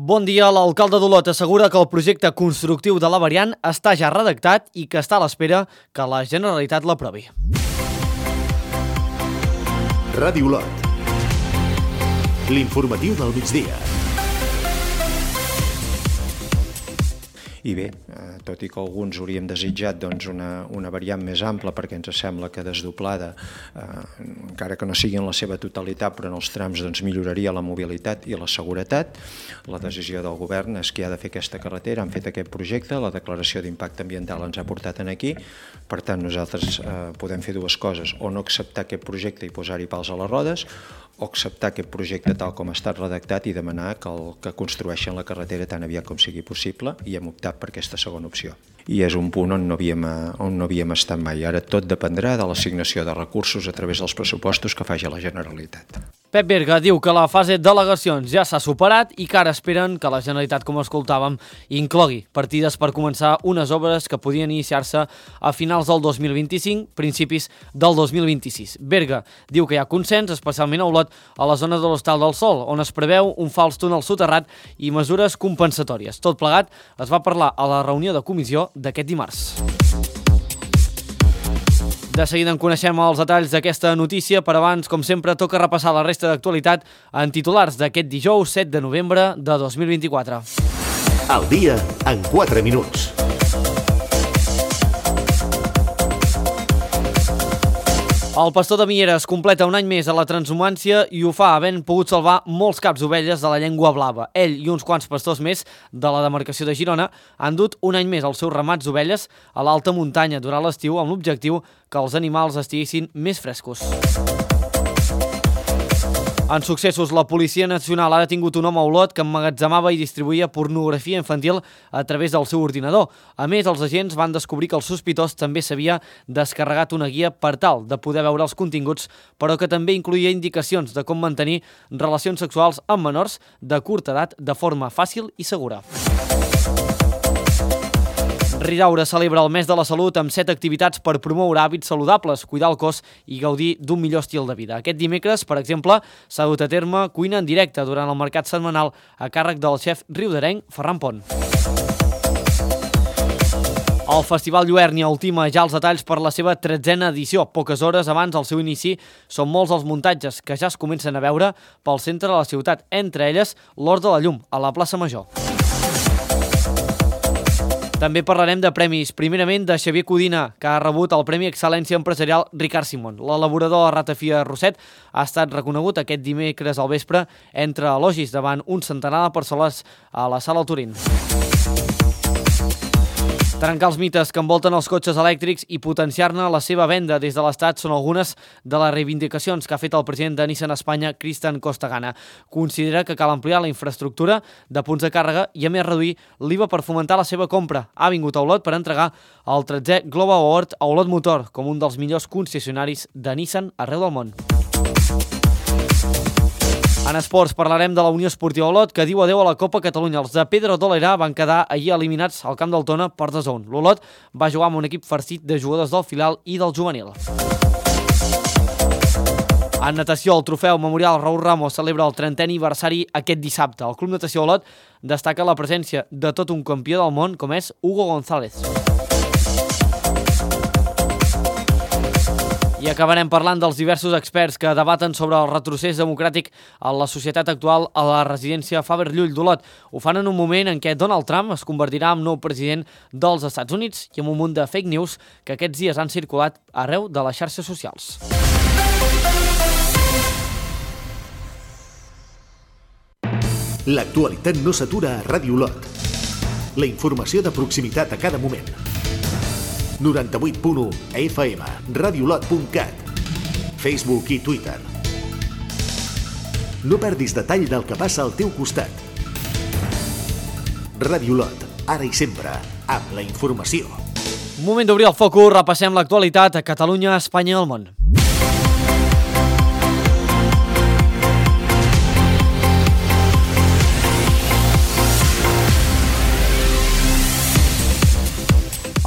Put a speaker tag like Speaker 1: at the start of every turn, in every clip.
Speaker 1: Bon dia, l'alcalde d'Olot assegura que el projecte constructiu de la variant està ja redactat i que està a l'espera que la Generalitat l'aprovi.
Speaker 2: Ràdio Olot. L'informatiu del migdia.
Speaker 3: I bé, tot i que alguns hauríem desitjat una variant més ampla perquè ens sembla que desdoblada, encara que no sigui en la seva totalitat, però en els trams milloraria la mobilitat i la seguretat, la decisió del govern és que ha de fer aquesta carretera, han fet aquest projecte, la declaració d'impacte ambiental ens ha portat aquí, per tant nosaltres podem fer dues coses, o no acceptar aquest projecte i posar-hi pals a les rodes, o acceptar aquest projecte tal com ha estat redactat i demanar que construeixen la carretera tan aviat com sigui possible, i hem optat per aquesta segona opció. I és un punt on no havíem estat mai. Ara tot dependrà de l'assignació de recursos a través dels pressupostos que faci la Generalitat.
Speaker 1: Pep Berga diu que la fase d'al·legacions ja s'ha superat i que ara esperen que la Generalitat, com escoltàvem, inclogui partides per començar unes obres que podien iniciar-se a finals del 2025, principis del 2026. Berga diu que hi ha consens, especialment a Olot, a la zona de l'Hostal del Sol, on es preveu un fals túnel soterrat i mesures compensatòries. Tot plegat es va parlar a la reunió de comissió d'aquest dimarts. De seguida en coneixem els detalls d'aquesta notícia, però abans, com sempre, toca repassar la resta d'actualitat en titulars d'aquest dijous 7 de novembre de 2024.
Speaker 2: Al dia en 4 minuts.
Speaker 1: El pastor de Mieres completa un any més a la transhumància i ho fa havent pogut salvar molts caps d'ovelles de la llengua blava. Ell i uns quants pastors més de la demarcació de Girona han dut un any més els seus ramats d'ovelles a l'alta muntanya durant l'estiu amb l'objectiu que els animals estiguessin més frescos. En successos, la Policia Nacional ha detingut un home a Olot que emmagatzemava i distribuïa pornografia infantil a través del seu ordinador. A més, els agents van descobrir que el sospitós també s'havia descarregat una guia per tal de poder veure els continguts, però que també incloïa indicacions de com mantenir relacions sexuals amb menors de curta edat de forma fàcil i segura. Ridaura celebra el mes de la salut amb 7 activitats per promoure hàbits saludables, cuidar el cos i gaudir d'un millor estil de vida. Aquest dimecres, per exemple, s'ha dut a terme cuina en directe durant el mercat setmanal a càrrec del xef riudarenc Ferran Pont. El Festival Lluernia ultima ja els detalls per la seva 13a edició. Poques hores abans del seu inici són molts els muntatges que ja es comencen a veure pel centre de la ciutat, entre elles l'Hort de la Llum, a la plaça Major. També parlarem de premis, primerament de Xavier Codina, que ha rebut el Premi Excel·lència Empresarial Ricard Simón. L'elaborador de Ratafia Roset ha estat reconegut aquest dimecres al vespre entre elogis davant un centenar de persones a la Sala Turín. Trencar els mites que envolten els cotxes elèctrics i potenciar-ne la seva venda des de l'Estat són algunes de les reivindicacions que ha fet el president de Nissan Espanya, Cristian Costagana. Considera que cal ampliar la infraestructura de punts de càrrega i a més reduir l'IVA per fomentar la seva compra. Ha vingut a Olot per entregar el 13è Global Award a Olot Motor com un dels millors concessionaris de Nissan arreu del món. En esports parlarem de la Unió Esportiva Olot, que diu adeu a la Copa Catalunya. Els de Pedro Dolera van quedar ahir eliminats al camp del Tona per 2-1. L'Olot va jugar amb un equip farcit de jugadors del filial i del juvenil. En natació, el trofeu Memorial Raúl Ramos celebra el 30è aniversari aquest dissabte. El Club Natació Olot destaca la presència de tot un campió del món com és Hugo González. I acabarem parlant dels diversos experts que debaten sobre el retrocés democràtic a la societat actual a la residència Faber Llull d'Olot. Ho fan en un moment en què Donald Trump es convertirà en nou president dels Estats Units i amb un munt de fake news que aquests dies han circulat arreu de les xarxes socials.
Speaker 2: L'actualitat no s'atura a Ràdio Olot. La informació de proximitat a cada moment. 98.1 FM, radiolot.cat, Facebook i Twitter. No perdis detall del que passa al teu costat. Ràdio Olot, ara i sempre, amb la informació.
Speaker 1: Moment d'obrir el focus, repassem l'actualitat a Catalunya, Espanya i el món.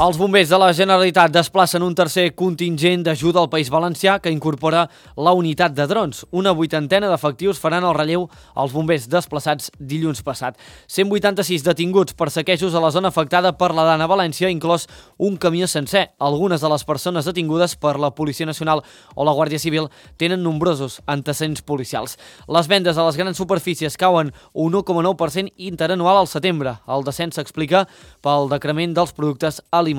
Speaker 1: Els bombers de la Generalitat desplacen un tercer contingent d'ajuda al País Valencià que incorpora la unitat de drons. Una 80ena d'efectius faran el relleu als bombers desplaçats dilluns passat. 186 detinguts per saquejos a la zona afectada per la Dana València, inclòs un camió sencer. Algunes de les persones detingudes per la Policia Nacional o la Guàrdia Civil tenen nombrosos antecedents policials. Les vendes a les grans superfícies cauen un 1,9% interanual al setembre. El descens s'explica pel decrement dels productes alimentaris.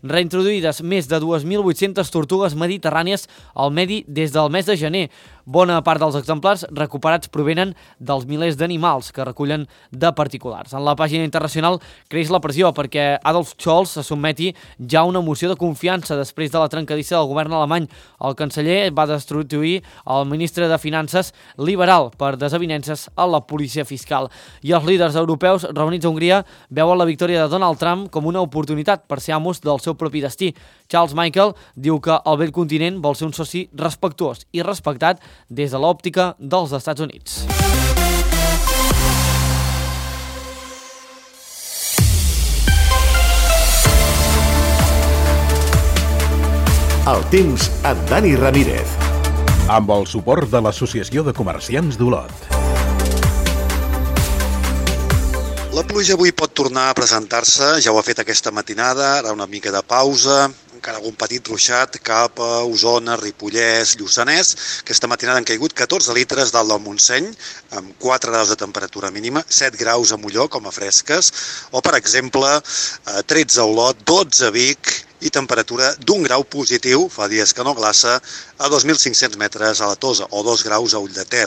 Speaker 1: Reintroduïdes més de 2.800 tortugues mediterrànies al medi des del mes de gener. Bona part dels exemplars recuperats provenen dels milers d'animals que recullen de particulars. En la pàgina internacional creix la pressió perquè Adolf Scholz se sotmeti ja a una moció de confiança després de la trencadissa del govern alemany. El canceller va destituir el ministre de Finances liberal per desavinences a la policia fiscal. I els líders europeus reunits a Hongria veuen la victòria de Donald Trump com una oportunitat per ser amos del seu propi destí. Charles Michel diu que el vell continent vol ser un soci respectuós i respectat des de l'òptica dels Estats Units.
Speaker 2: El temps amb Dani Ramírez.
Speaker 4: Amb el suport de l'Associació de Comerciants d'Olot.
Speaker 5: La pluja avui pot tornar a presentar-se, ja ho ha fet aquesta matinada, ara una mica de pausa, encara algun petit ruixat cap a Osona, Ripollès, Lluçanès. Aquesta matinada han caigut 14 litres dalt del Montseny, amb 4 graus de temperatura mínima, 7 graus a Molló, com a fresques, o, per exemple, 13 a Olot, 12 a Vic, i temperatura d'1 grau positiu, fa dies que no glaça, a 2.500 metres a la Tosa, o 2 graus a Ull de Ter.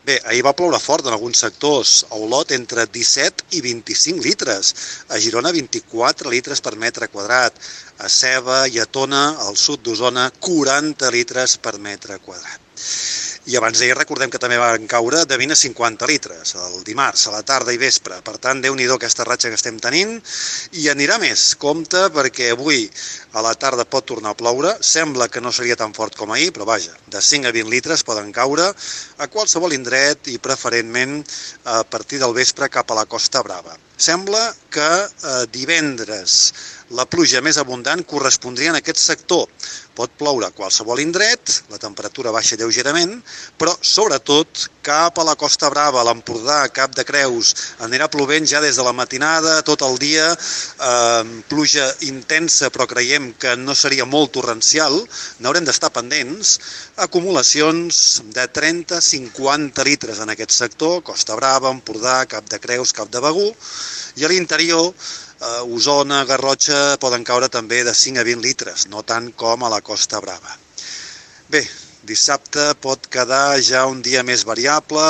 Speaker 5: Bé, ahir va ploure fort en alguns sectors, a Olot entre 17 i 25 litres, a Girona 24 litres per metre quadrat, a Ceba i a Tona, al sud d'Osona, 40 litres per metre quadrat. I abans d'ahir recordem que també van caure de 20 a 50 litres, el dimarts, a la tarda i vespre. Per tant, Déu-n'hi-do aquesta ratxa que estem tenint. I anirà més. Compte, perquè avui a la tarda pot tornar a ploure. Sembla que no seria tan fort com ahir, però vaja, de 5 a 20 litres poden caure a qualsevol indret i preferentment a partir del vespre cap a la Costa Brava. Sembla que divendres la pluja més abundant correspondria en aquest sector. Pot ploure a qualsevol indret, la temperatura baixa lleugerament, però sobretot cap a la Costa Brava, a l'Empordà, Cap de Creus, anirà plovent ja des de la matinada, tot el dia, pluja intensa, però creiem que no seria molt torrencial, n'haurem d'estar pendents, acumulacions de 30-50 litres en aquest sector, Costa Brava, Empordà, Cap de Creus, Cap de Begur, i a l'interior, Osona, Garrotxa, poden caure també de 5 a 20 litres, no tant com a la Costa Brava. Bé, dissabte pot quedar ja un dia més variable,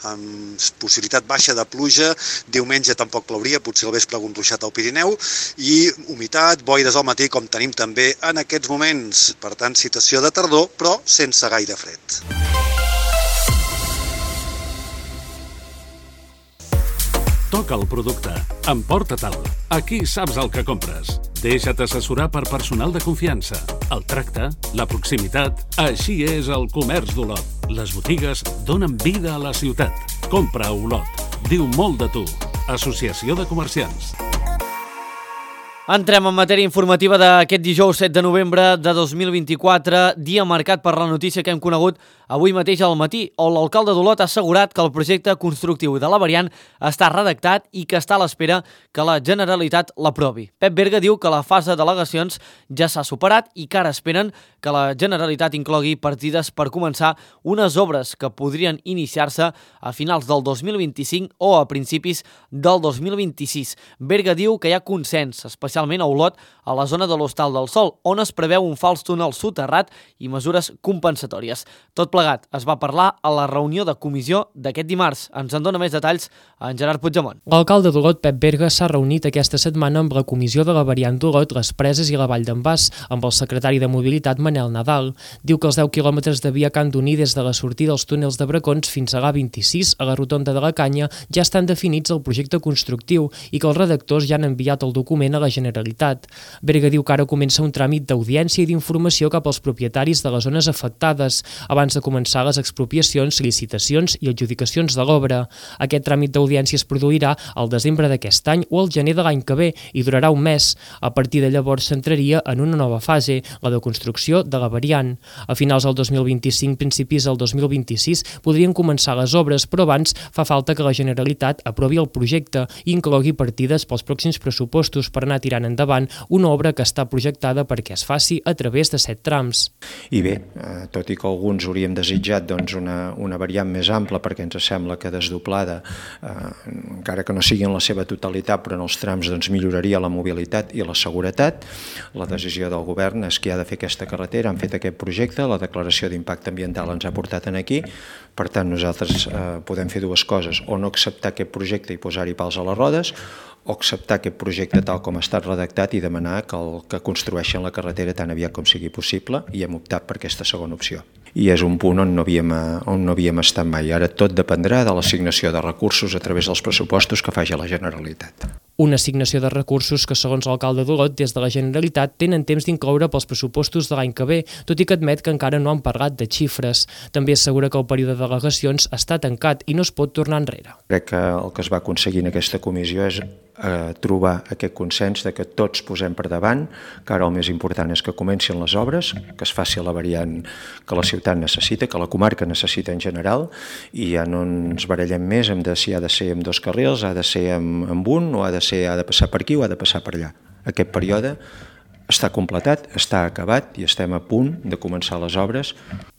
Speaker 5: amb possibilitat baixa de pluja, diumenge tampoc plouria, potser al vespre algun ruixat al Pirineu, i humitat, boires al matí, com tenim també en aquests moments. Per tant, situació de tardor, però sense gaire fred.
Speaker 6: Toca el producte. Emporta-te'l. Aquí saps el que compres. Deixa't assessorar per personal de confiança. El tracte, la proximitat, així és el comerç d'Olot. Les botigues donen vida a la ciutat. Compra a Olot. Diu molt de tu. Associació de Comerciants.
Speaker 1: Entrem en matèria informativa d'aquest dijous 7 de novembre de 2024, dia marcat per la notícia que hem conegut avui mateix al matí, on l'alcalde d'Olot ha assegurat que el projecte constructiu de la variant està redactat i que està a l'espera que la Generalitat l'aprovi. Pep Berga diu que la fase d'al·legacions ja s'ha superat i que ara esperen que la Generalitat inclogui partides per començar unes obres que podrien iniciar-se a finals del 2025 o a principis del 2026. Berga diu que hi ha consens, especialment a Olot, a la zona de l'Hostal del Sol, on es preveu un fals túnel soterrat i mesures compensatòries. Tot plegat es va parlar a la reunió de comissió d'aquest dimarts. Ens en dona més detalls en Gerard Puigdemont.
Speaker 7: L'alcalde d'Olot, Pep Berga, s'ha reunit aquesta setmana amb la comissió de la variant d'Olot, les Preses i la Vall d'en Bas, amb el secretari de Mobilitat, Manel Nadal. Diu que els 10 quilòmetres de via que han d'unir des de la sortida dels túnels de Bracons fins a l'A26, a la rotonda de la Canya, ja estan definits al projecte constructiu i que els redactors ja han enviat el document a la Generalitat. Berga diu que ara comença un tràmit d'audiència i d'informació cap als propietaris de les zones afectades, abans de començar les expropiacions, licitacions i adjudicacions de l'obra. Aquest tràmit d'audiència es produirà al desembre d'aquest any o al gener de l'any que ve i durarà un mes. A partir de llavors s'entraria en una nova fase, la de construcció de la variant. A finals del 2025, principis del 2026, podrien començar les obres, però abans fa falta que la Generalitat aprovi el projecte i inclogui partides pels pròxims pressupostos per anar tirant endavant una obra que està projectada perquè es faci a través de 7 trams.
Speaker 3: I bé, tot i que alguns hauríem desitjat una variant més ampla perquè ens sembla que desdoblada, encara que no sigui en la seva totalitat, però en els trams milloraria la mobilitat i la seguretat, la decisió del govern és que ha de fer aquesta carretera, han fet aquest projecte, la declaració d'impacte ambiental ens ha portat aquí, per tant nosaltres podem fer dues coses, o no acceptar aquest projecte i posar-hi pals a les rodes, o acceptar aquest projecte tal com ha estat redactat i demanar que construeixen la carretera tan aviat com sigui possible, i hem optat per aquesta segona opció. I és un punt on no havíem estat mai. Ara tot dependrà de l'assignació de recursos a través dels pressupostos que faci la Generalitat.
Speaker 7: Una assignació de recursos que, segons l'alcalde d'Olot, des de la Generalitat tenen temps d'incloure pels pressupostos de l'any que ve, tot i que admet que encara no han parlat de xifres. També assegura que el període de delegacions està tancat i no es pot tornar enrere.
Speaker 3: Crec que el que es va aconseguir en aquesta comissió és trobar aquest consens de que tots posem per davant, que ara el més important és que comencin les obres, que es faci la variant que la ciutat necessita, que la comarca necessita en general, i ja no ens barallem més si ha de ser amb 2 carrils, ha de ser amb un, o ha de passar per aquí o ha de passar per allà. Aquest període està completat, està acabat i estem a punt de començar les obres.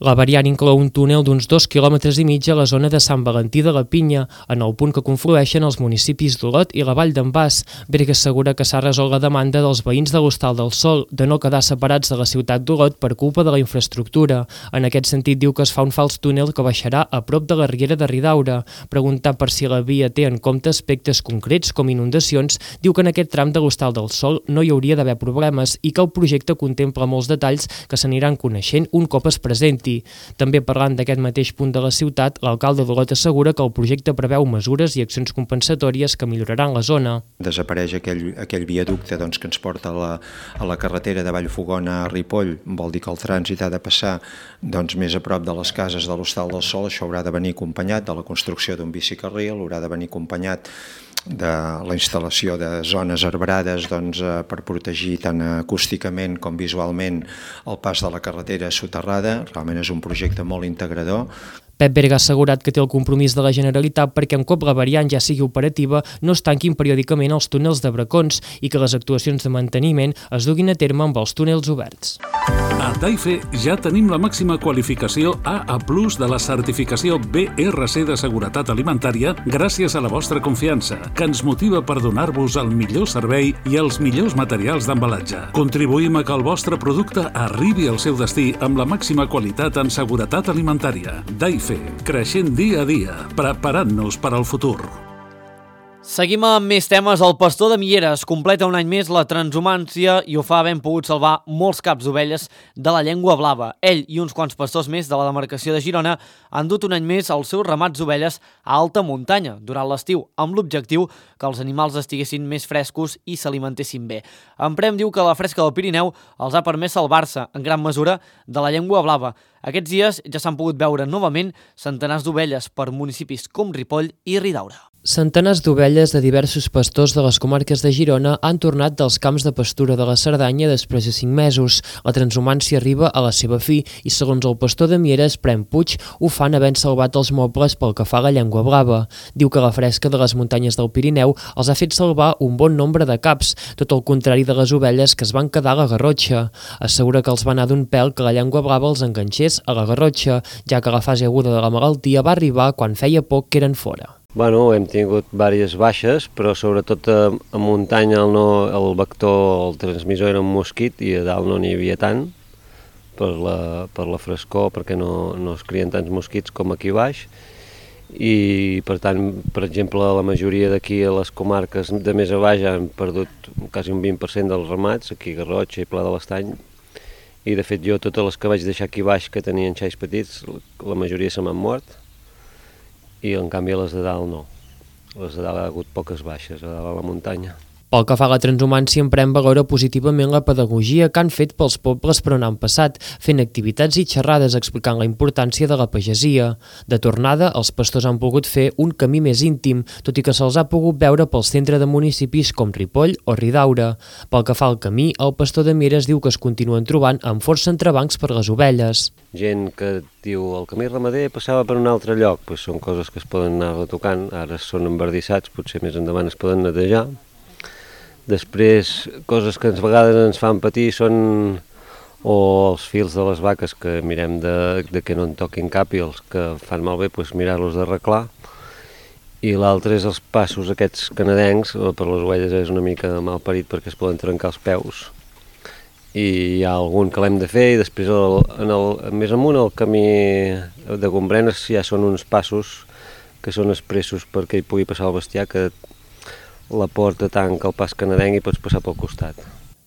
Speaker 7: La variant inclou un túnel d'uns 2,5 quilòmetres a la zona de Sant Valentí de la Pinya, en el punt que conflueixen els municipis d'Olot i la Vall d'en Bas. Berga assegura que s'ha resolt la demanda dels veïns de l'Hostal del Sol de no quedar separats de la ciutat d'Olot per culpa de la infraestructura. En aquest sentit diu que es fa un fals túnel que baixarà a prop de la Riera de Ridaura. Preguntat per si la via té en compte aspectes concrets com inundacions, diu que en aquest tram de l'Hostal del Sol no hi hauria d'haver problemes i que el projecte contempla molts detalls que s'aniran coneixent un cop es presenti. També parlant d'aquest mateix punt de la ciutat, l'alcalde d'Olot assegura que el projecte preveu mesures i accions compensatòries que milloraran la zona.
Speaker 3: Desapareix aquell viaducte que ens porta a la carretera de Vallfogona a Ripoll, vol dir que el trànsit ha de passar més a prop de les cases de l'Hostal del Sol. Això haurà de venir acompanyat de la construcció d'un bicicarril, haurà de venir acompanyat de la instal·lació de zones arbrades per protegir tant acústicament com visualment el pas de la carretera soterrada. Realment és un projecte molt integrador.
Speaker 7: Pep Berga ha assegurat que té el compromís de la Generalitat perquè un cop la variant ja sigui operativa no es tanquin periòdicament els túnels de bracons i que les actuacions de manteniment es duguin a terme amb els túnels oberts.
Speaker 6: A Daife ja tenim la màxima qualificació AA+ de la certificació BRC de seguretat alimentària gràcies a la vostra confiança, que ens motiva per donar-vos el millor servei i els millors materials d'embalatge. Contribuïm a que el vostre producte arribi al seu destí amb la màxima qualitat en seguretat alimentària. Daife, creixent dia a dia, preparant-nos per al futur.
Speaker 1: Seguim amb més temes. El pastor de Mieres completa un any més la transhumància i ho fa havent pogut salvar molts caps d'ovelles de la llengua blava. Ell i uns quants pastors més de la demarcació de Girona han dut un any més els seus ramats d'ovelles a alta muntanya durant l'estiu, amb l'objectiu que els animals estiguessin més frescos i s'alimentessin bé. En Prem diu que la fresca del Pirineu els ha permès salvar-se, en gran mesura, de la llengua blava. Aquests dies ja s'han pogut veure novament centenars d'ovelles per municipis com Ripoll i Ridaura.
Speaker 7: Centenars d'ovelles de diversos pastors de les comarques de Girona han tornat dels camps de pastura de la Cerdanya després de 5 mesos. La transhumància arriba a la seva fi i, segons el pastor de Mieres, Prem Puig, ho fan havent salvat els mobles pel que fa a la llengua blava. Diu que la fresca de les muntanyes del Pirineu els ha fet salvar un bon nombre de caps, tot el contrari de les ovelles que es van quedar a la Garrotxa. Assegura que els va anar d'un pèl que la llengua blava els enganxés a la Garrotxa, ja que la fase aguda de la malaltia va arribar quan feia poc que eren fora.
Speaker 8: Hem tingut diverses baixes, però sobretot a muntanya el vector, el transmissor era un mosquit i a dalt no n'hi havia tant per la frescor, perquè no es crien tants mosquits com aquí baix. I per tant, per exemple, la majoria d'aquí a les comarques de més a baix han perdut quasi un 20% dels ramats, aquí a Garrotxa i Pla de l'Estany. I de fet jo totes les que vaig deixar aquí baix que tenien xais petits, la majoria se m'han mort. I en canvi les de dalt no. Les de dalt ha hagut poques baixes, a dalt a la muntanya.
Speaker 7: Pel que fa a la transhumància, Emprèn valora positivament la pedagogia que han fet pels pobles per on han passat, fent activitats i xerrades explicant la importància de la pagesia. De tornada, els pastors han pogut fer un camí més íntim, tot i que se'ls ha pogut veure pel centre de municipis com Ripoll o Ridaura. Pel que fa al camí, el pastor de Mieres diu que es continuen trobant amb força entrebancs per les ovelles.
Speaker 8: Gent que diu el camí ramader passava per un altre lloc, doncs són coses que es poden anar retocant, ara són embardissats, potser més endavant es poden netejar. Després, coses que a vegades ens fan patir són o els fils de les vaques que mirem de que no en toquin cap i els que fan malbé, doncs mirar-los d'arreglar. I l'altre és els passos aquests canadencs, per les ovelles és una mica mal parit perquè es poden trencar els peus. I hi ha algun que l'hem de fer i després més amunt el camí de Gombrenes ja són uns passos que són expressos perquè hi pugui passar el bestiar, que la porta tanca el pas canadenc i pots passar pel costat.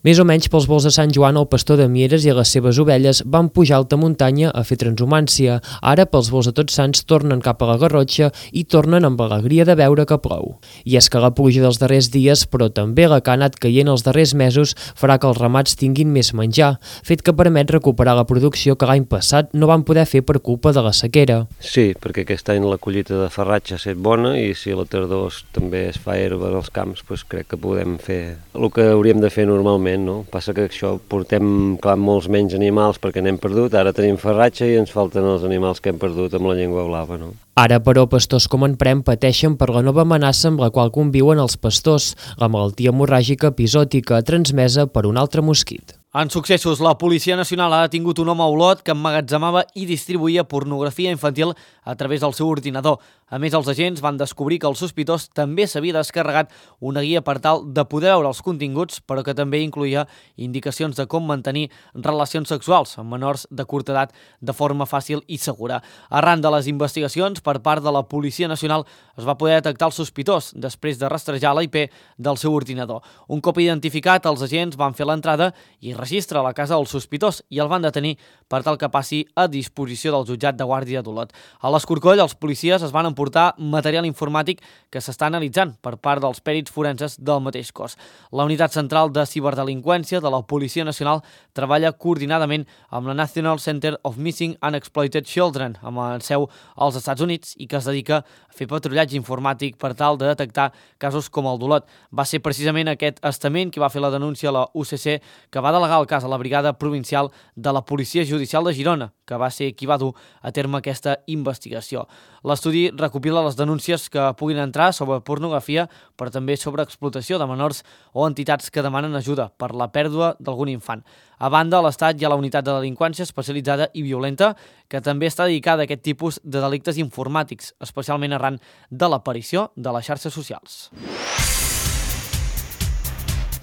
Speaker 7: Més o menys pels volts de Sant Joan, el pastor de Mieres i les seves ovelles van pujar a alta muntanya a fer transhumància. Ara, pels volts de Tots Sants, tornen cap a la Garrotxa i tornen amb alegria de veure que plou. I és que la pluja dels darrers dies, però també la que ha anat caient els darrers mesos, farà que els ramats tinguin més menjar, fet que permet recuperar la producció que l'any passat no van poder fer per culpa de la sequera.
Speaker 8: Sí, perquè aquest any la collita de farratge ha estat bona i si a la tardor també es fa herba als camps, doncs crec que podem fer el que hauríem de fer normalment. No? Passa que això portem molts menys animals perquè n'hem perdut, ara tenim farratge i ens falten els animals que hem perdut amb la llengua blava. No?
Speaker 7: Ara, però, pastors com Emprèn pateixen per la nova amenaça amb la qual conviuen els pastors, la malaltia hemorràgica epizòtica transmesa per un altre mosquit.
Speaker 1: En successos, la Policia Nacional ha detingut un home a Olot que emmagatzemava i distribuïa pornografia infantil a través del seu ordinador. A més, els agents van descobrir que el sospitós també s'havia descarregat una guia per tal de poder veure els continguts, però que també incloïa indicacions de com mantenir relacions sexuals amb menors de curta edat de forma fàcil i segura. Arran de les investigacions, per part de la Policia Nacional es va poder detectar el sospitós després de rastrejar la IP del seu ordinador. Un cop identificat, els agents van fer l'entrada i registre a la casa del sospitós i el van detenir per tal que passi a disposició del jutjat de Guàrdia d'Olot. A l'Escorcoll, els policies es van emportar material informàtic que s'està analitzant per part dels pèrits forenses del mateix cos. La Unitat Central de Ciberdelinqüència de la Policia Nacional treballa coordinadament amb la National Center of Missing and Exploited Children, amb la seu als Estats Units, i que es dedica a fer patrullatge informàtic per tal de detectar casos com el d'Olot. Va ser precisament aquest estament qui va fer la denúncia a la UCC, que va delegar el cas a la Brigada Provincial de la Policia Judicial de Girona, que va ser qui va dur a terme aquesta investigació. L'estudi recopila les denúncies que puguin entrar sobre pornografia, però també sobre explotació de menors o entitats que demanen ajuda per la pèrdua d'algun infant. A banda, a l'Estat hi ha la Unitat de Delinqüència Especialitzada i Violenta, que també està dedicada a aquest tipus de delictes informàtics, especialment arran de l'aparició de les xarxes socials.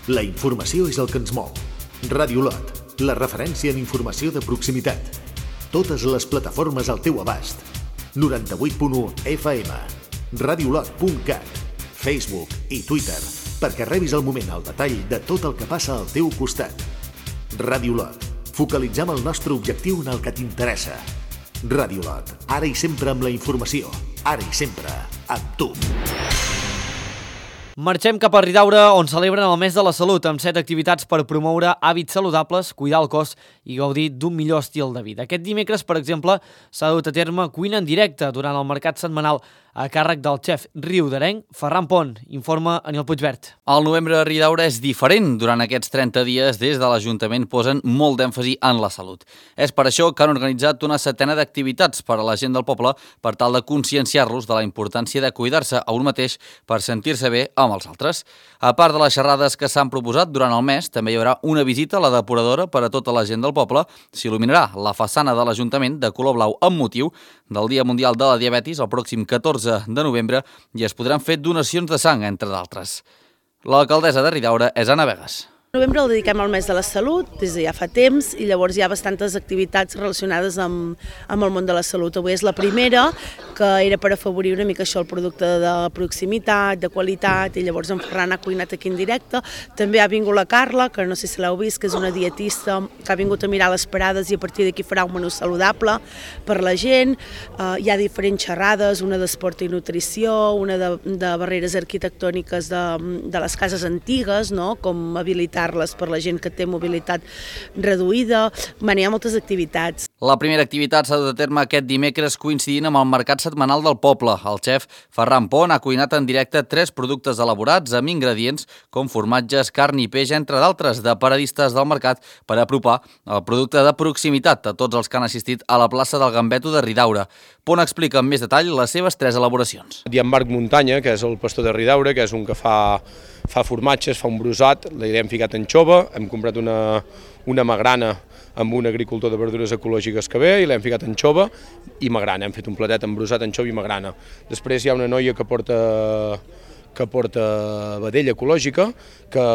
Speaker 2: La informació és el que ens mou. Ràdio Olot, la referència en informació de proximitat. Totes les plataformes al teu abast. 98.1 FM, radiolot.cat, Facebook i Twitter, perquè rebis al moment el detall de tot el que passa al teu costat. Ràdio Olot, focalitzem el nostre objectiu en el que t'interessa. Ràdio Olot, ara i sempre amb la informació, ara i sempre amb tu.
Speaker 1: Marxem cap a Ridaura, on celebren el mes de la salut, amb 7 activitats per promoure hàbits saludables, cuidar el cos i gaudir d'un millor estil de vida. Aquest dimecres, per exemple, s'ha dut a terme cuina en directe durant el mercat setmanal a càrrec del xef riudarenc Ferran Pont, informa Anil Puigvert.
Speaker 9: El novembre a Ridaura és diferent. Durant aquests 30 dies, des de l'Ajuntament posen molt d'èmfasi en la salut. És per això que han organitzat una setena d'activitats per a la gent del poble per tal de conscienciar-los de la importància de cuidar-se a un mateix per sentir-se bé amb els altres. A part de les xerrades que s'han proposat durant el mes, també hi haurà una visita a la depuradora per a tota la gent del poble. S'il·luminarà la façana de l'Ajuntament de color blau amb motiu del Dia Mundial de la Diabetis el pròxim 14 de novembre i es podran fer donacions de sang, entre d'altres. L'alcaldessa de Ridaura és Anna Vegas.
Speaker 10: En novembre el dediquem al mes de la salut, des de ja fa temps, i llavors hi ha bastantes activitats relacionades amb el món de la salut. Avui és la primera, que era per afavorir una mica això, el producte de proximitat, de qualitat, i llavors en Ferran ha cuinat aquí en directe. També ha vingut la Carla, que no sé si l'heu vist, que és una dietista que ha vingut a mirar les parades i a partir d'aquí farà un menú saludable per la gent. Hi ha diferents xerrades, una d'esport i nutrició, una de barreres arquitectòniques de les cases antigues, no? Com habilitar-les per la gent que té mobilitat reduïda. Hi ha moltes activitats.
Speaker 9: La primera activitat s'ha dut a terme aquest dimecres coincidint amb el mercat setmanal del poble. El xef Ferran Pont ha cuinat en directe 3 productes elaborats amb ingredients com formatges, carn i peix, entre d'altres, de paradistes del mercat per apropar el producte de proximitat a tots els que han assistit a la plaça del Gambeto de Ridaura. Pont explica amb més detall les seves 3 elaboracions.
Speaker 11: Hi ha en Marc Muntanya, que és el pastor de Ridaura, que és un que fa formatges, fa un brosat, li hem ficat anxova, hem comprat una magrana amb un agricultor de verdures ecològiques que ve i l'hem ficat anxova i magrana, hem fet un platet amb brosat, anxova i magrana. Després hi ha una noia que porta vedella ecològica, que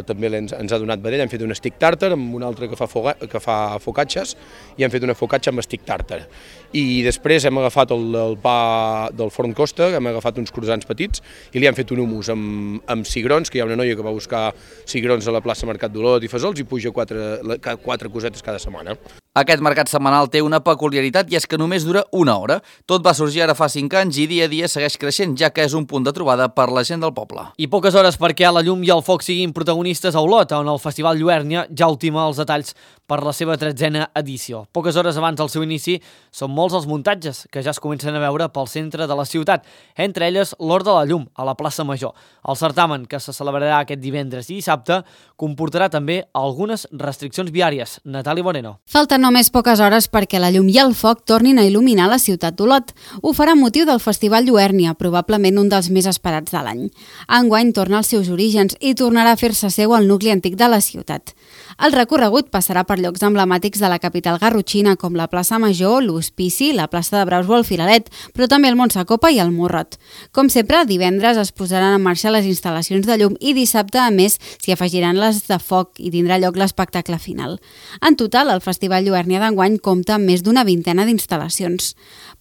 Speaker 11: també ens ha donat vedella, hem fet un stick tàrtar, amb un altre que fa focacces, i hem fet una focaccia amb stick tàrtar. I després hem agafat el pa del forn Costa, hem agafat uns croissants petits, i li hem fet un hummus amb cigrons, que hi ha una noia que va buscar cigrons a la plaça Mercat d'Olot i Fesols i puja 4 cosetes cada setmana.
Speaker 9: Aquest mercat setmanal té una peculiaritat i és que només dura una hora. Tot va sorgir ara fa 5 anys i dia a dia segueix creixent, ja que és un punt de trobada per la gent del poble.
Speaker 1: I poques hores perquè la llum i el foc siguin protagonistes a Olot, on el Festival Lluèrnia ja ultima els detalls per la seva 13a edició. Poques hores abans del seu inici són molts els muntatges que ja es comencen a veure pel centre de la ciutat, entre elles l'Hort de la Llum, a la plaça Major. El certamen, que se celebrarà aquest divendres i dissabte, comportarà també algunes restriccions viàries. Natàlia Moreno.
Speaker 12: Falten només poques hores perquè la llum i el foc tornin a il·luminar la ciutat d'Olot. Ho farà amb motiu del Festival Lluèrnia, probablement un dels més esperats de l'any. Enguany torna als seus orígens i tornarà a fer-se seu al nucli antic de la ciutat. El recorregut passarà per llocs emblemàtics de la capital garrotxina com la plaça Major, l'Hospici, la plaça de Braus o el Filaret, però també el Montsacopa i el Morrot. Com sempre, divendres es posaran en marxa les instal·lacions de llum i dissabte, a més, s'hi afegiran les de foc i tindrà lloc l'espectacle final. En total, el Festival Lluèrnia d'enguany compta amb més d'una vintena d'instal·lacions.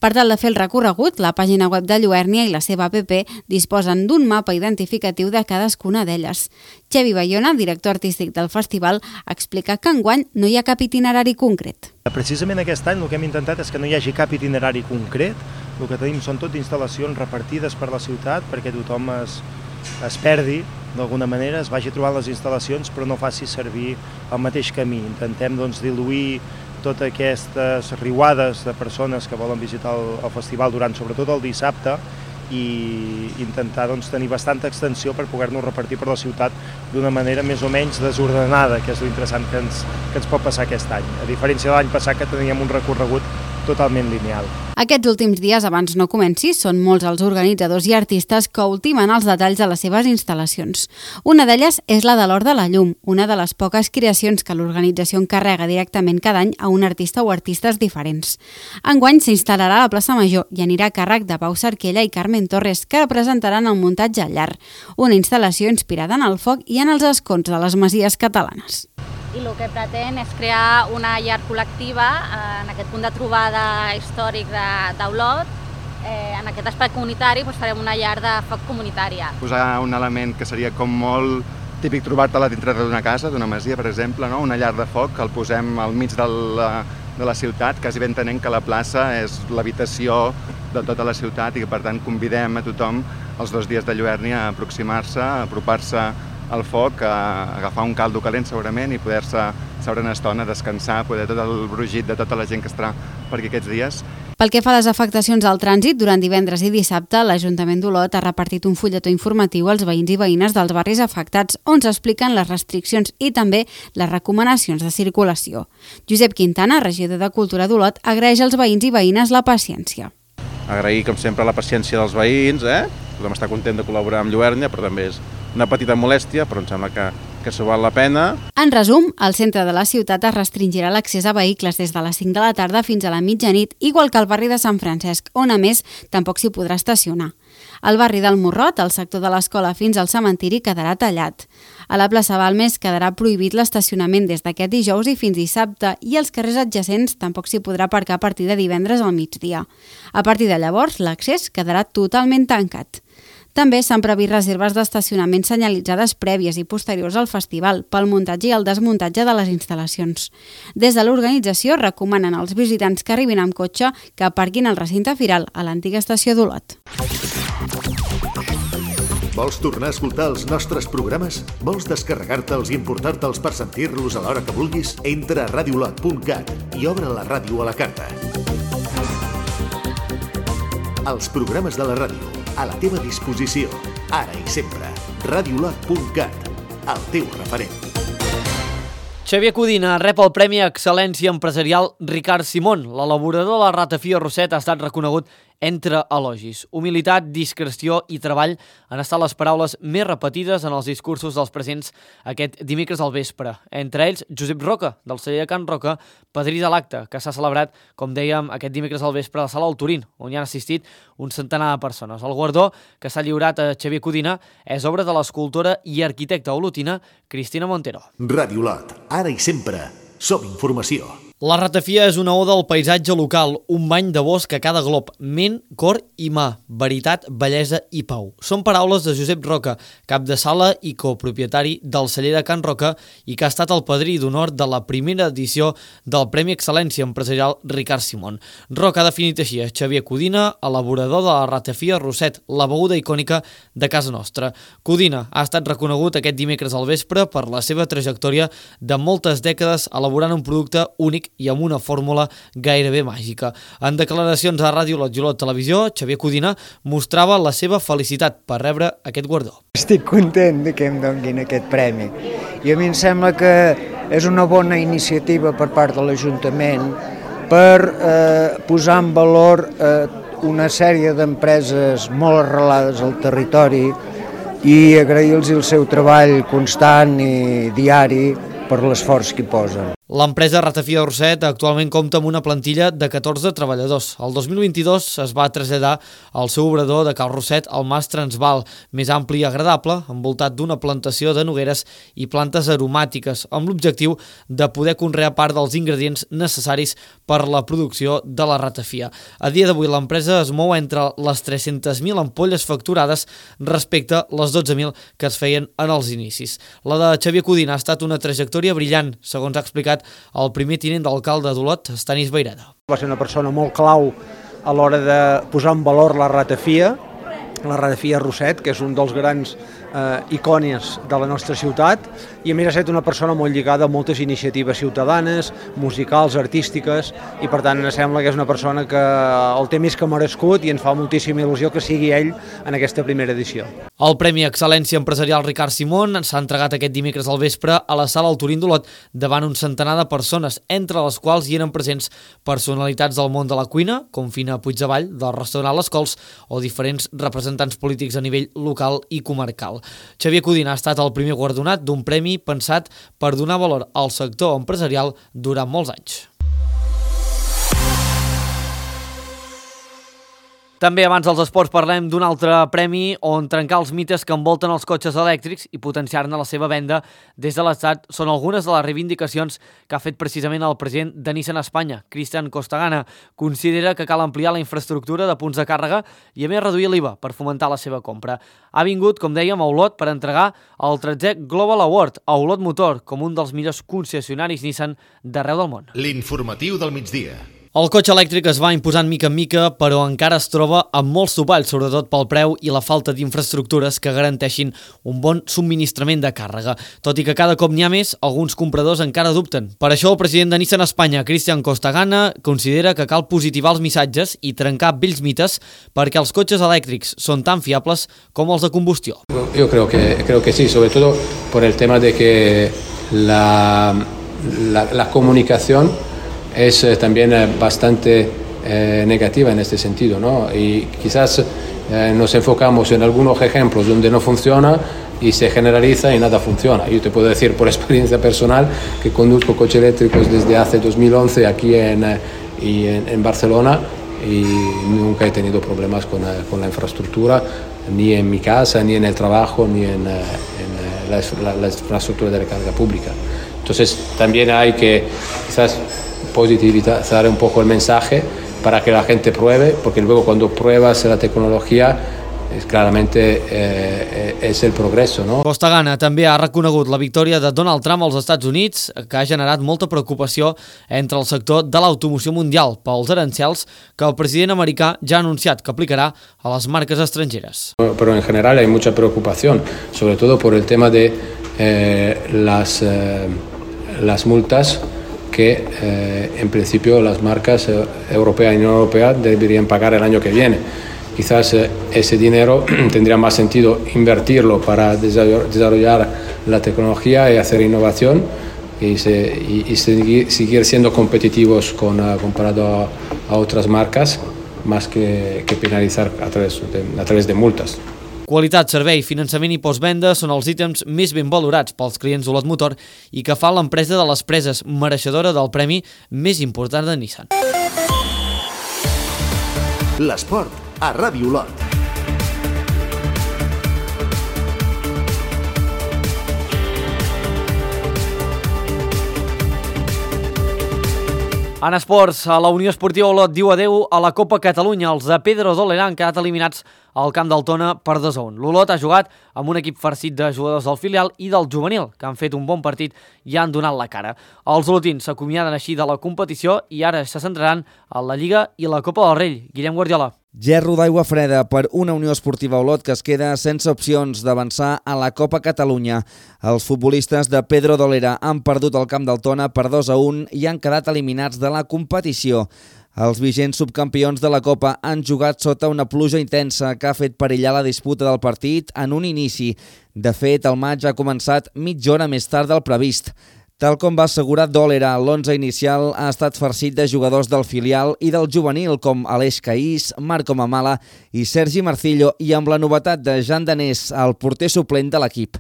Speaker 12: Per tal de fer el recorregut, la pàgina web de Lluèrnia i la seva app disposen d'un mapa identificatiu de cadascuna d'elles. Xevi Bayona, director artístic del festival, explica que enguany no hi ha cap itinerari concret.
Speaker 13: Precisament aquest any el que hem intentat és que no hi hagi cap itinerari concret. El que tenim són tot instal·lacions repartides per la ciutat perquè tothom es perdi d'alguna manera, es vagi trobant les instal·lacions però no faci servir el mateix camí. Intentem diluir totes aquestes riuades de persones que volen visitar el festival durant sobretot el dissabte i intentar tenir bastanta extensió per poder-nos repartir per la ciutat d'una manera més o menys desordenada, que és l'interessant que ens pot passar aquest any, a diferència de l'any passat que teníem un recorregut totalment lineal.
Speaker 12: Aquests últims dies, abans no comenci, són molts els organitzadors i artistes que ultimen els detalls de les seves instal·lacions. Una d'elles és la de l'Hort de la Llum, una de les poques creacions que l'organització encarrega directament cada any a un artista o artistes diferents. Enguany s'instal·larà a la plaça Major i anirà a càrrec de Pau Sarquella i Carmen Torres, que representaran el muntatge al llar, una instal·lació inspirada en el foc i en els escons de les masies catalanes.
Speaker 14: I el que pretén és crear una llar col·lectiva en aquest punt de trobada històric d'Olot. En aquest espai comunitari farem una llar de foc comunitària.
Speaker 15: Posar un element que seria com molt típic trobar-te-la dintre d'una casa, d'una masia, per exemple, no? Una llar de foc que el posem al mig de la ciutat, quasi ben entenent que la plaça és l'habitació de tota la ciutat i que per tant convidem a tothom els 2 dies de Lluèrnia a aproximar-se, a apropar-se al foc, a agafar un caldo calent segurament i poder-se seure una estona, descansar, poder tot el brugit de tota la gent que estarà per aquí aquests dies.
Speaker 12: Pel que fa a les afectacions al trànsit, durant divendres i dissabte, l'Ajuntament d'Olot ha repartit un fulletó informatiu als veïns i veïnes dels barris afectats on s'expliquen les restriccions i també les recomanacions de circulació. Josep Quintana, regidor de Cultura d'Olot, agraeix als veïns i veïnes la paciència.
Speaker 16: Agrair, com sempre, la paciència dels veïns, tothom està content de col·laborar amb Lluèrnia, però també és una petita molèstia, però em sembla que s'ho val la pena.
Speaker 12: En resum, al centre de la ciutat es restringirà l'accés a vehicles des de les 5 de la tarda fins a la mitjanit, igual que al barri de Sant Francesc, on a més tampoc s'hi podrà estacionar. El barri del Morrot, el sector de l'escola fins al cementiri, quedarà tallat. A la plaça Balmes quedarà prohibit l'estacionament des d'aquest dijous i fins dissabte i als carrers adjacents tampoc s'hi podrà aparcar a partir de divendres al migdia. A partir de llavors, l'accés quedarà totalment tancat. També s'han previst reserves d'estacionament senyalitzades prèvies i posteriors al festival pel muntatge i el desmuntatge de les instal·lacions. Des de l'organització recomanen als visitants que arribin amb cotxe que aparquin al recinte firal a l'antiga estació d'Olot.
Speaker 2: Vols tornar a escoltar els nostres programes? Vols descarregar-te'ls i importar-te'ls per sentir-los a l'hora que vulguis? Entra a radiolot.cat i obre la ràdio a la carta. Els programes de la ràdio, a la teva disposició, ara i sempre. Radiolot.cat, el teu referent.
Speaker 1: Xavier Codina rep el Premi Excel·lència Empresarial Ricard Simón. L'elaborador de la ratafia Roset ha estat reconegut entre elogis. Humilitat, discreció i treball han estat les paraules més repetides en els discursos dels presents aquest dimecres al vespre. Entre ells, Josep Roca, del celler de Can Roca, padrí de l'acte, que s'ha celebrat, com dèiem, aquest dimecres al vespre a la sala del Turín, on hi han assistit un centenar de persones. El guardó que s'ha lliurat a Xavier Codina és obra de l'escultora i arquitecta olotina Cristina Montero.
Speaker 2: Radiolot, ara i sempre, som informació.
Speaker 1: La ratafia és una oda al paisatge local, un bany de bosc a cada glob, ment, cor i mà, veritat, bellesa i pau. Són paraules de Josep Roca, cap de sala i copropietari del celler de Can Roca i que ha estat el padrí d'honor de la primera edició del Premi Excel·lència Empresarial Ricard Simón. Roca ha definit així a Xavier Codina, elaborador de la ratafia Roset, la beguda icònica de casa nostra. Codina ha estat reconegut aquest dimecres al vespre per la seva trajectòria de moltes dècades elaborant un producte únic i amb una fórmula gairebé màgica. En declaracions a Ràdio Lot i Olot Televisió, Xavier Codina mostrava la seva felicitat per rebre aquest guardó.
Speaker 17: Estic content de que em donin aquest premi. I a mi em sembla que és una bona iniciativa per part de l'Ajuntament per posar en valor una sèrie d'empreses molt arrelades al territori i agrair-los el seu treball constant i diari per l'esforç que hi posen.
Speaker 1: L'empresa Ratafia Roset actualment compta amb una plantilla de 14 treballadors. El 2022 es va traslladar al seu obrador de Cal Roset al Mas Transval, més ampli i agradable, envoltat d'una plantació de nogueres i plantes aromàtiques, amb l'objectiu de poder conrear part dels ingredients necessaris per la producció de la ratafia. A dia d'avui l'empresa es mou entre les 300.000 ampolles facturades respecte a les 12.000 que es feien en els inicis. La de Xavier Codina ha estat una trajectòria brillant, segons ha explicat el primer tinent d'alcalde d'Olot, Stanis Vaireda.
Speaker 18: Va ser una persona molt clau a l'hora de posar en valor la ratafia Roset, que és un dels grans icònies de la nostra ciutat, i a més ha estat una persona molt lligada a moltes iniciatives ciutadanes, musicals, artístiques, i per tant em sembla que és una persona que el té més que merescut i ens fa moltíssima il·lusió que sigui ell en aquesta primera edició.
Speaker 1: El Premi Excel·lència Empresarial Ricard Simón s'ha entregat aquest dimecres al vespre a la sala del Turín d'Olot davant un centenar de persones, entre les quals hi eren presents personalitats del món de la cuina, com Fina Puigdevall, del restaurant Les Cols, o diferents representants polítics a nivell local i comarcal. Xavier Codina ha estat el primer guardonat d'un premi pensat per donar valor al sector empresarial durant molts anys. També abans dels esports parlem d'un altre premi on trencar els mites que envolten els cotxes elèctrics i potenciar-ne la seva venda des de l'Estat són algunes de les reivindicacions que ha fet precisament el president de Nissan Espanya, Cristian Costagana. Considera que cal ampliar la infraestructura de punts de càrrega i a més reduir l'IVA per fomentar la seva compra. Ha vingut, com dèiem, a Olot per entregar el 13è Global Award a Olot Motor com un dels millors concessionaris Nissan d'arreu del món.
Speaker 2: L'informatiu del migdia.
Speaker 1: El cotxe elèctric es va imposant mica en mica, però encara es troba amb molts topalls, sobretot pel preu i la falta d'infraestructures que garanteixin un bon subministrament de càrrega. Tot i que cada cop n'hi ha més, alguns compradors encara dubten. Per això el president de Nissan Espanya, Cristian Costagana, considera que cal positivar els missatges i trencar vells mites perquè els cotxes elèctrics són tan fiables com els de combustió.
Speaker 19: Yo creo que sí, sobre todo por el tema de que la comunicación es también bastante negativa en este sentido, ¿no? Y quizás nos enfocamos en algunos ejemplos donde no funciona y se generaliza y nada funciona. Yo te puedo decir por experiencia personal que conduzco coches eléctricos desde hace 2011 aquí en Barcelona y nunca he tenido problemas con la infraestructura. ni en mi casa, ni en el trabajo, ni en la infraestructura de la carga pública. Entonces también hay que quizás positivizar un poco el mensaje para que la gente pruebe, porque luego cuando pruebas la tecnología claramente és el progresso, no?
Speaker 1: Costa Gana també ha reconegut la victòria de Donald Trump als Estats Units, que ha generat molta preocupació entre el sector de l'automoció mundial pels arancels que el president americà ja ha anunciat que aplicarà a les marques estrangeres.
Speaker 19: Pero en general hay mucha preocupación, sobre todo por el tema de las multas que en principio las marcas europeas y no europeas deberían pagar el año que viene. Quizás ese dinero tendría más sentido invertirlo para desarrollar la tecnología y hacer innovación y seguir siendo competitivos comparado a otras marcas, más que penalizar a través de multas.
Speaker 1: Qualitat, servei, finançament i postvenda són els ítems més ben valorats pels clients d'Olot Motor i que fa l'empresa de les preses mereixedora del premi més important de Nissan.
Speaker 2: L'esport a Ràdio Olot.
Speaker 1: En esports, la Unió Esportiva Olot diu adeu a la Copa Catalunya. Els de Pedro Dolera han quedat eliminats al camp del Tona per 2-1. L'Olot ha jugat amb un equip farcit de jugadors del filial i del juvenil, que han fet un bon partit i han donat la cara. Els olotins s'acomiaden així de la competició i ara se centraran en la Lliga i la Copa del Rei. Guillem Guardiola.
Speaker 20: Gerro d'aigua freda per una Unió Esportiva Olot que es queda sense opcions d'avançar a la Copa Catalunya. Els futbolistes de Pedro Dolera han perdut el camp del Tona per 2-1 i han quedat eliminats de la competició. Els vigents subcampions de la Copa han jugat sota una pluja intensa que ha fet perillar la disputa del partit en un inici. De fet, el maig ha començat mitja hora més tard del previst. Tal com va assegurar Dolera, l'11 inicial ha estat farcit de jugadors del filial i del juvenil com Aleix Caís, Marco Mamala i Sergi Marcillo i amb la novetat de Jan Danés, el porter suplent de l'equip.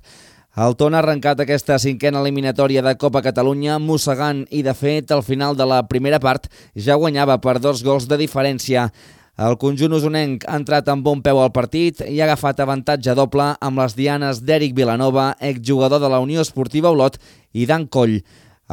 Speaker 20: El Tona ha arrencat aquesta cinquena eliminatòria de Copa Catalunya mossegant i, de fet, al final de la primera part ja guanyava per 2 gols de diferència. El conjunt usonenc ha entrat amb bon peu al partit i ha agafat avantatge doble amb les dianes d'Eric Vilanova, exjugador de la Unió Esportiva Olot, i Dan Coll.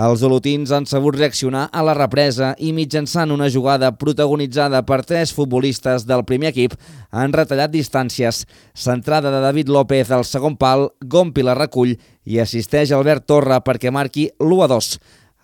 Speaker 20: Els olotins han sabut reaccionar a la represa i mitjançant una jugada protagonitzada per 3 futbolistes del primer equip han retallat distàncies. Centrada de David López al segon pal, Gompi la recull i assisteix Albert Torra perquè marqui l'1-2.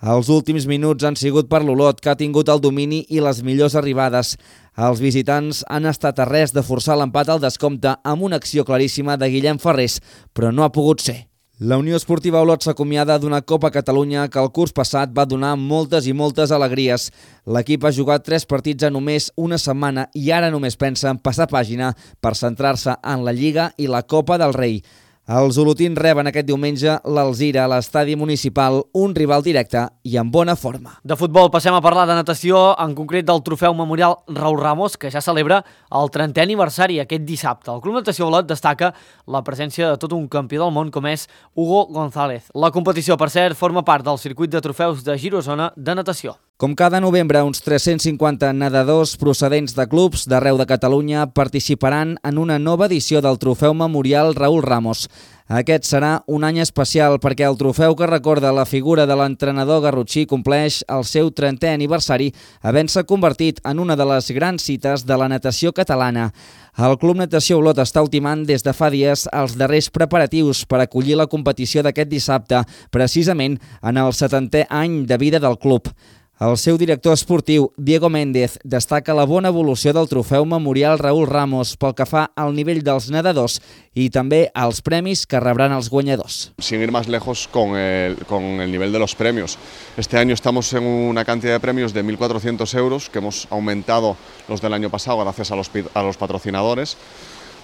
Speaker 20: Els últims minuts han sigut per l'Olot, que ha tingut el domini i les millors arribades. Els visitants han estat a res de forçar l'empat al descompte amb una acció claríssima de Guillem Ferrés, però no ha pogut ser. La Unió Esportiva Olot s'acomiada d'una Copa Catalunya que el curs passat va donar moltes i moltes alegries. L'equip ha jugat 3 partits en només una setmana i ara només pensa en passar pàgina per centrar-se en la Lliga i la Copa del Rei. Els olotins reben aquest diumenge l'Alzira a l'estadi municipal, un rival directe i en bona forma.
Speaker 1: De futbol passem a parlar de natació, en concret del trofeu memorial Raúl Ramos, que ja celebra el 30è aniversari aquest dissabte. El Club Natació Olot destaca la presència de tot un campió del món com és Hugo González. La competició, per cert, forma part del circuit de trofeus de Girosona de natació.
Speaker 20: Com cada novembre, uns 350 nedadors procedents de clubs d'arreu de Catalunya participaran en una nova edició del trofeu memorial Raúl Ramos. Aquest serà un any especial perquè el trofeu que recorda la figura de l'entrenador garrotxí compleix el seu 30è aniversari, havent-se convertit en una de les grans cites de la natació catalana. El Club Natació Olot està ultimant des de fa dies els darrers preparatius per acollir la competició d'aquest dissabte, precisament en el 70è any de vida del club. El seu director esportiu, Diego Méndez, destaca la bona evolució del trofeu memorial Raúl Ramos pel que fa al nivell dels nedadors y també als premis que rebran els guanyadors.
Speaker 21: Sin ir más lejos con el nivel de los premios. Este año estamos en una cantidad de premios de 1.400 euros que hemos aumentado los del año pasado gracias a los patrocinadores.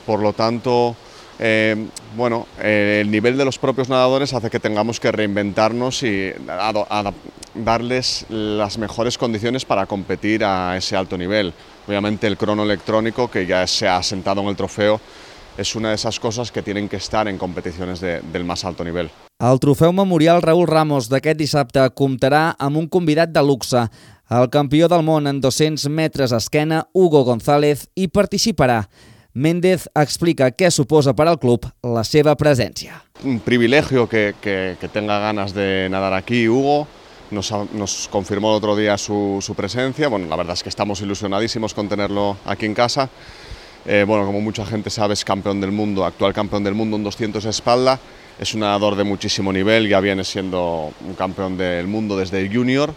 Speaker 21: Por lo tanto, el nivel de los propios nadadores hace que tengamos que reinventarnos y darles las mejores condiciones para competir a ese alto nivel. Obviamente el crono electrónico, que ya se ha asentado en el trofeo, es una de esas cosas que tienen que estar en competiciones del más alto nivel.
Speaker 20: El trofeu memorial Raúl Ramos d'aquest dissabte comptarà amb un convidat de luxe. El campió del món en 200 metres a esquena, Hugo González, hi participarà. Méndez explica què suposa per al club la seva presència.
Speaker 21: Un privilegio que tenga ganas de nadar aquí, Hugo. Nos confirmó el otro día su presencia. Bueno, la verdad es que estamos ilusionadísimos con tenerlo aquí en casa. Bueno, como mucha gente sabe, es campeón del mundo, actual campeón del mundo en 200 espalda. Es un nadador de muchísimo nivel, ya viene siendo un campeón del mundo desde el junior.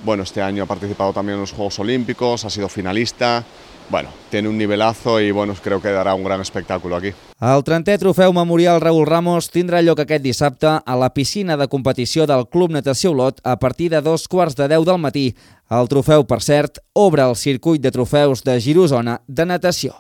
Speaker 21: Bueno, este año ha participado también en los Juegos Olímpicos, ha sido finalista. Bueno, tiene un nivelazo y bueno, creo que dará un gran espectáculo aquí.
Speaker 20: El 30è trofeu memorial Raúl Ramos tindrà lloc aquest dissabte a la piscina de competició del Club Natació Olot a partir de 2:15 del matí. El trofeu, per cert, obre el circuit de trofeus de Girosona de natació.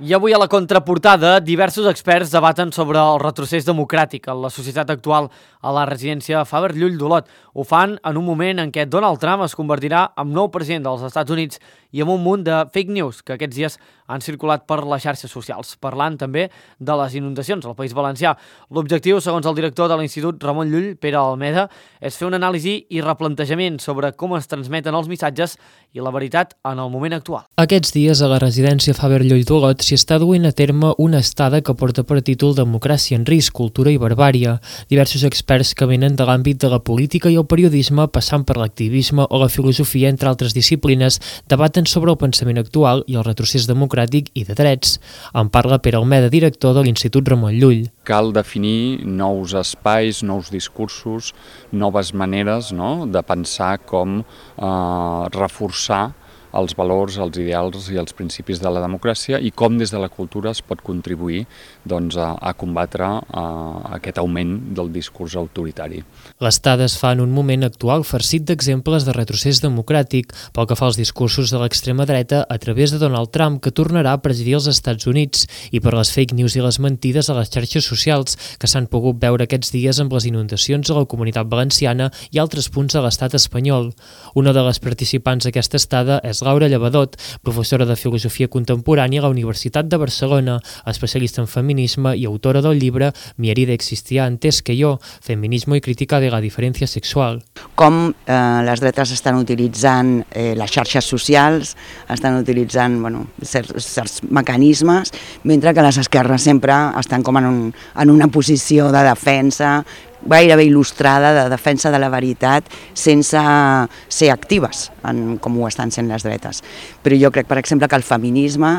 Speaker 1: I avui a la contraportada, diversos experts debaten sobre el retrocés democràtic en la societat actual a la residència Faber Llull d'Olot. Ho fan en un moment en què Donald Trump es convertirà en nou president dels Estats Units i amb un munt de fake news que aquests dies han circulat per les xarxes socials, parlant també de les inundacions al País Valencià. L'objectiu, segons el director de l'Institut Ramon Llull, Pere Almeda, és fer una anàlisi i replantejament sobre com es transmeten els missatges i la veritat en el moment actual.
Speaker 7: Aquests dies a la residència Faber Llull d'Olot s'hi està duent a terme una estada que porta per títol Democràcia en risc, cultura i barbària. Diversos experts que venen de l'àmbit de la política i el periodisme, passant per l'activisme o la filosofia, entre altres disciplines, debaten sobre el pensament actual i el retrocés democràtic i de drets. En parla Pere Almeda, director de l'Institut Ramon Llull.
Speaker 4: Cal definir nous espais, nous discursos, noves maneres, no?, de pensar com reforçar els valors, els ideals i els principis de la democràcia i com des de la cultura es pot contribuir a combatre aquest augment del discurs autoritari.
Speaker 7: L'estada es fa en un moment actual farcit d'exemples de retrocés democràtic pel que fa als discursos de l'extrema dreta a través de Donald Trump, que tornarà a presidir els Estats Units, i per les fake news i les mentides a les xarxes socials que s'han pogut veure aquests dies amb les inundacions a la Comunitat Valenciana i altres punts de l'estat espanyol. Una de les participants d'aquesta estada és Laura Llevadot, professora de Filosofia Contemporània a la Universitat de Barcelona, especialista en feminisme i autora del llibre Mi herida existía antes que yo, feminismo y crítica de la diferencia sexual.
Speaker 22: Com les dretes estan utilitzant les xarxes socials, estan utilitzant certs mecanismes, mentre que les esquerres sempre estan com en una posició de defensa gairebé il·lustrada, de defensa de la veritat, sense ser actives, com ho estan sent les dretes. Però jo crec, per exemple, que el feminisme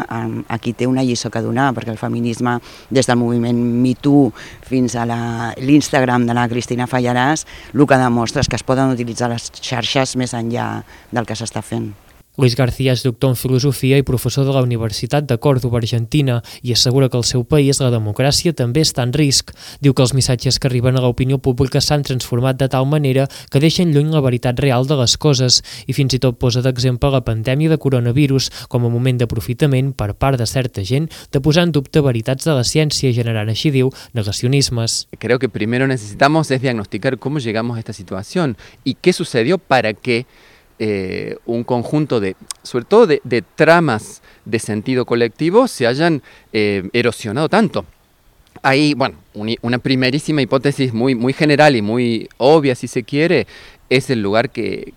Speaker 22: aquí té una lliçó que donar, perquè el feminisme, des del moviment Me Too fins a l'Instagram de la Cristina Fallarás, el que demostra és que es poden utilitzar les xarxes més enllà del que s'està fent.
Speaker 7: Luis García és doctor en filosofia i professor de la Universitat de Còrdova, Argentina, i assegura que al seu país la democràcia també està en risc. Diu que els missatges que arriben a l'opinió pública s'han transformat de tal manera que deixen lluny la veritat real de les coses i fins i tot posa d'exemple la pandèmia de coronavirus com a moment d'aprofitament per part de certa gent de posar en dubte veritats de la ciència, generant, així diu, negacionismes.
Speaker 23: Creo que primero necesitamos es diagnosticar cómo llegamos a esta situación y qué sucedió para que un conjunto sobre todo de tramas de sentido colectivo se hayan erosionado tanto. Hay, una primerísima hipótesis muy general y muy obvia, si se quiere, es el lugar que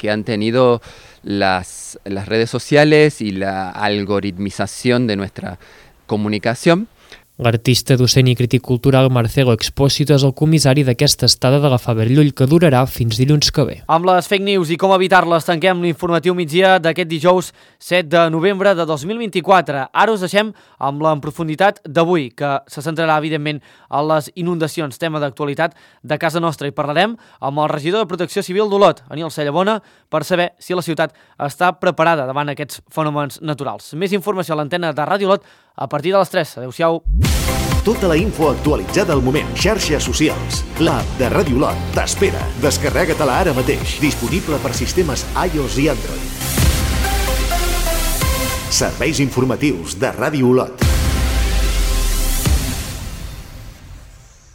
Speaker 23: han tenido las redes sociales y la algoritmización de nuestra comunicación.
Speaker 7: L'artista, docent i crític cultural Marcelo Expósito és el comissari d'aquesta estada de la Faber Llull, que durarà fins dilluns que ve.
Speaker 1: Amb les fake news i com evitar-les tanquem l'informatiu migdia d'aquest dijous 7 de novembre de 2024. Ara us deixem amb la en profunditat d'avui, que se centrarà evidentment en les inundacions, tema d'actualitat de casa nostra, i parlarem amb el regidor de Protecció Civil d'Olot, Aniol Cellabona, per saber si la ciutat està preparada davant aquests fenòmens naturals. Més informació a l'antena de Ràdio Olot a partir de les 3. Adéu-siau.
Speaker 2: Tota la info actualitzada al moment. Xarxes socials. L'app de Ràdio Olot t'espera. Descarrega-te-la ara mateix. Disponible per sistemes iOS i Android. Serveis informatius de Ràdio Olot.